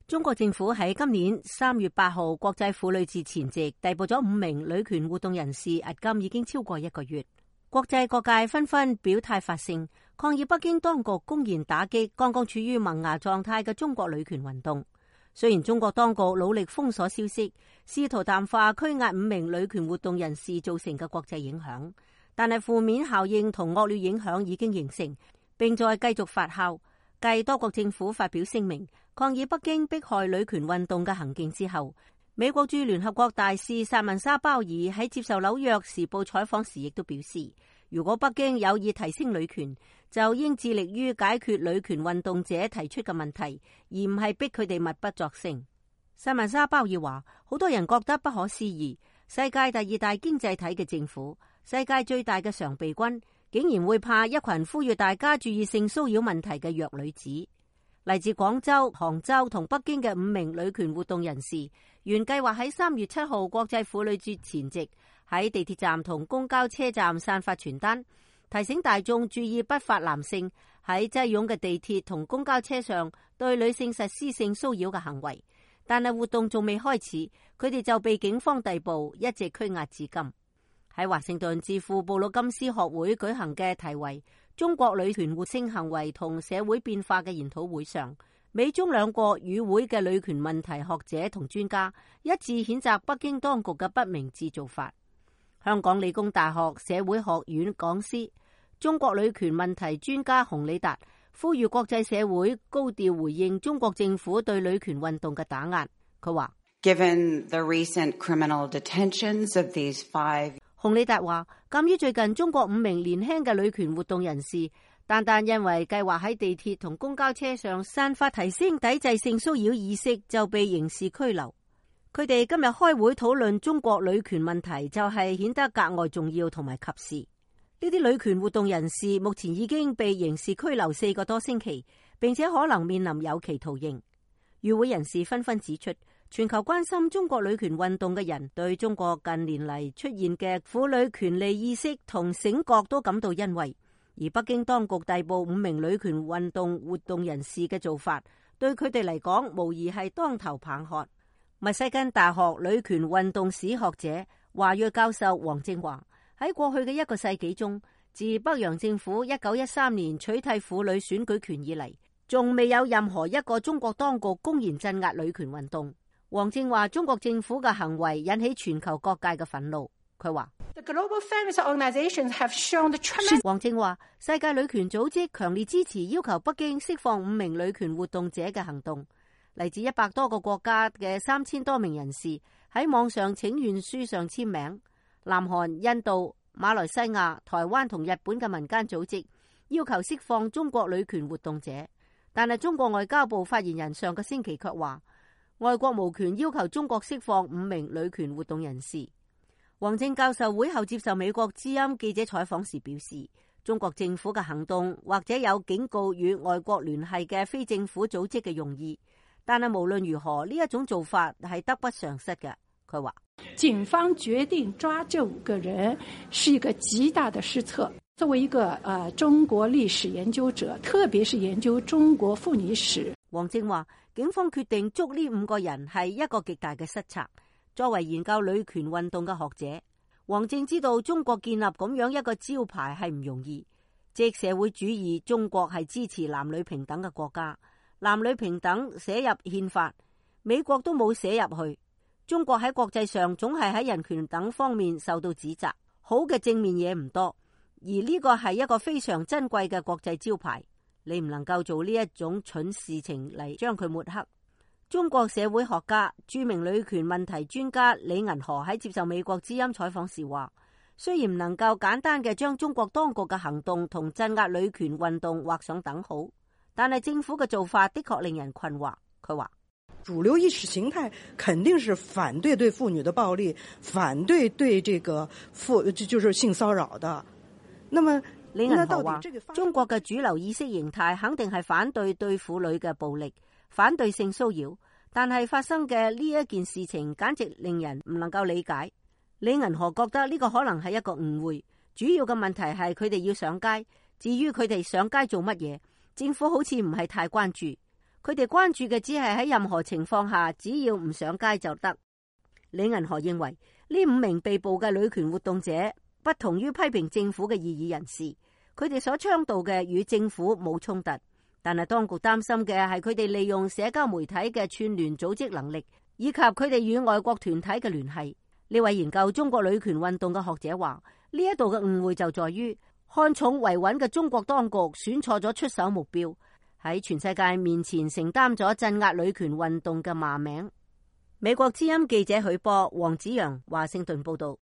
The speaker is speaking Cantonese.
中國政府喺今年3月8號國際婦女節前夕逮捕咗5名女權活動人士，迄今已經超過1個月。國際各界紛紛表態發聲，抗議北京當局公然打擊剛剛處於萌芽狀態嘅中國女權運動。雖然中國當局努力封鎖消息，試圖淡化拘押5名女權活動人士造成嘅國際影響，但係負面效應同惡劣影響已經形成，並在繼續發酵。繼多國政府發表聲明抗議北京迫害女權運動嘅行徑之後，美國駐聯合國大使薩文莎鮑爾喺接受紐約時報採訪時亦都表示，如果北京有意提升女權，就應致力於解決女權運動者提出嘅問題，而唔係逼佢哋默不作聲。薩文莎鮑爾話，好多人覺得不可思議，世界第2大經濟體嘅政府，世界最大嘅常備軍，竟然會怕一群呼籲大家注意性騷擾問題嘅弱女子。嚟自廣州、杭州同北京嘅5名女權活動人士，原計劃喺3月7號國際婦女節前夕喺地鐵站同公交車站散發傳單，提醒大眾注意不法男性喺擠擁嘅地鐵同公交車上對女性實施性騷擾嘅行為。但係活動仲未開始，佢哋就被警方逮捕，一直拘押至今。喺華盛頓智庫布魯金斯學會舉行嘅題為中國女權活性行為同社會變化嘅研討會上，美中兩國與會嘅女權問題學者同專家一致譴責北京當局嘅不明智做法。香港理工大學社會學院講師、中國女權問題專家洪禮達呼籲國際社會高調回應中國政府對女權運動嘅打壓。佢話 Given the recent criminal detentions of these 5洪禮達話，鑒於最近中國5名年輕嘅女權活動人士，單單因為計劃喺地鐵同公交車上散發提升抵制性騷擾意識，就被刑事拘留。佢哋今日開會討論中國女權問題，就係顯得格外重要同埋及時。呢啲女權活動人士目前已經被刑事拘留4個多星期，並且可能面臨有期徒刑。與會人士紛紛指出，全球關心中國女權運動嘅人對中國近年嚟出現嘅婦女權利意識同醒覺都感到欣慰，而北京當局逮捕5名女權運動活動人士嘅做法，對佢哋嚟講無疑係當頭棒喝。密西根大學女權運動史學者華裔教授黃正華喺過去嘅1個世紀中，自北洋政府1913年取締婦女選舉權以嚟，仲未有任何一個中國當局公然鎮壓女權運動。黃正話，中國政府嘅行為引起全球各界嘅憤怒。佢話，黃正話，世界女權組織強烈支持要求北京釋放5名女權活動者嘅行動。嚟自100多個國家嘅3000多名人士喺網上請願書上簽名。南韓、印度、馬來西亞、台灣同日本嘅民間組織要求釋放中國女權活動者，但係中國外交部發言人上個星期卻話，外國無權要求中國釋放5名女權活動人士。黃正教授會後接受美國之音記者採訪時表示，中國政府嘅行動或者有警告與外國聯繫嘅非政府組織嘅用意，但係無論如何，呢一種做法係得不償失嘅。佢話，警方決定抓這5個人是一個極大的失策。作為一個中國歷史研究者，特別是研究中國婦女史，黃正話，警方決定捉呢5個人係一個極大嘅失策。作為研究女權運動嘅學者，黃正知道中國建立咁樣一個招牌係唔容易。即社會主義中國係支持男女平等嘅國家，男女平等寫入憲法，美國都冇寫入去。中國喺國際上總係喺人權等方面受到指責，好嘅正面嘢唔多，而呢個係一個非常珍貴嘅國際招牌。你唔能夠做呢一種蠢事情嚟將佢抹黑。中國社會學家、著名女權問題專家李銀河喺接受美國之音採訪時話，雖然唔能夠簡單嘅將中國當局嘅行動同鎮壓女權運動畫上等號，但係政府嘅做法的確令人困惑。佢話，主流意識形態肯定是反對對婦女的暴力，反對對這個就是性騷擾的。那麼李銀河話，中國嘅主流意識形態肯定係反對對婦女嘅暴力，反對性騷擾，但係發生嘅呢一件事情簡直令人唔能夠理解。李銀河覺得呢個可能係一個誤會，主要嘅問題係佢哋要上街，至於佢哋上街做乜嘢，政府好似唔係太關注。佢哋關注嘅只係喺任何情況下，只要唔上街就得。李銀河認為呢5名被捕嘅女權活動者不同於批評政府嘅異議人士，佢哋所倡導嘅與政府冇衝突，但係當局擔心嘅係佢哋利用社交媒體嘅串聯組織能力，以及佢哋與外國團體嘅聯繫。呢位研究中國女權運動嘅學者話，呢一度嘅誤會就在於看重維穩嘅中國當局選錯咗出手目標，喺全世界面前承擔咗鎮壓女權運動嘅罵名。美國之音記者許波、黃子揚華盛頓報道。